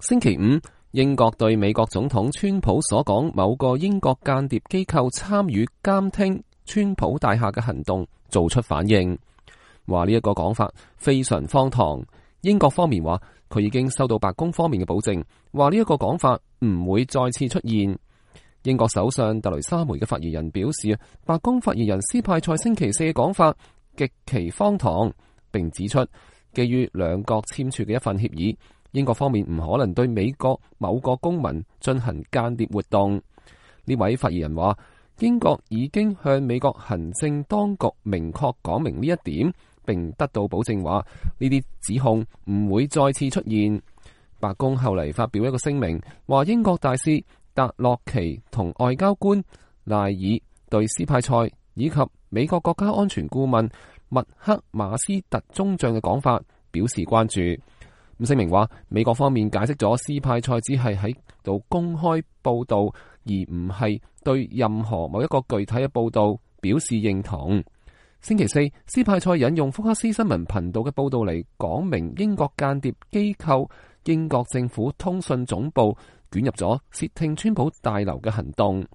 星期五，英國對美國總統川普所講某個英國間諜機構參與監聽川普大廈嘅行動做出反應，話呢一個講法非常荒唐。英國方面話佢已經收到白宮方面嘅保證，話呢一個講法唔會再次出現。英國首相特雷莎梅嘅發言人表示，白宮發言人斯派塞星期四嘅講法極其荒唐，並指出基於兩國簽署嘅一份協議，英國方面唔可能對美國某個公民進行間諜活動。呢位發言人話，英國已經向美國行政當局明確講明呢一點，並得到保證話呢啲指控唔會再次出現。白宮後嚟發表一個聲明，話英國大使達洛奇同外交官賴爾對斯派塞以及美國國家安全顧問麥克馬斯特中將嘅講法表示關注。聲明話，美國方面解釋咗斯派塞只係喺度公開報道，而唔係對任何某一個具體嘅報道表示認同。星期四，斯派塞引用福克斯新聞頻道嘅報道嚟講明英國間諜機構英國政府通訊總部捲入咗竊聽川普大樓嘅行動。